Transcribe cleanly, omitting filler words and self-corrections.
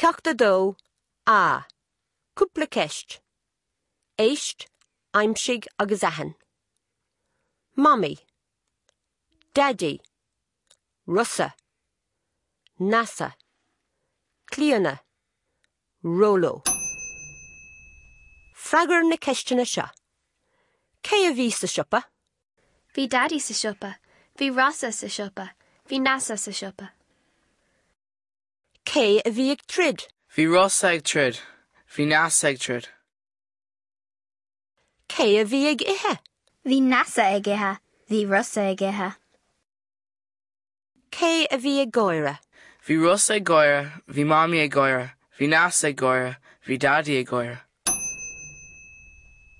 Ceacht 2 A. Cúpla ceist. Éist, aimsigh agus aithin. Mamaí. Daidí. Rosa. Neasa. Clíona. Róló. Freagair na ceisteanna seo. Cé a bhí sa siopa? Bhí Daidí sa siopa. Bhí Rosa sa siopa. Bhí Neasa sa siopa. Cé a bhí ag troid? Bhí Rosa ag troid. Bhí Neasa ag troid. Cé a bhí ag ithe? Bhí Neasa ag ithe. Bhí Rosa ag ithe. Cé a bhí ag gáire? Bhí Rosa ag gáire. Bhí Mamaí ag gáire. Bhí Neasa ag gáire. Bhí Daidí ag gáire.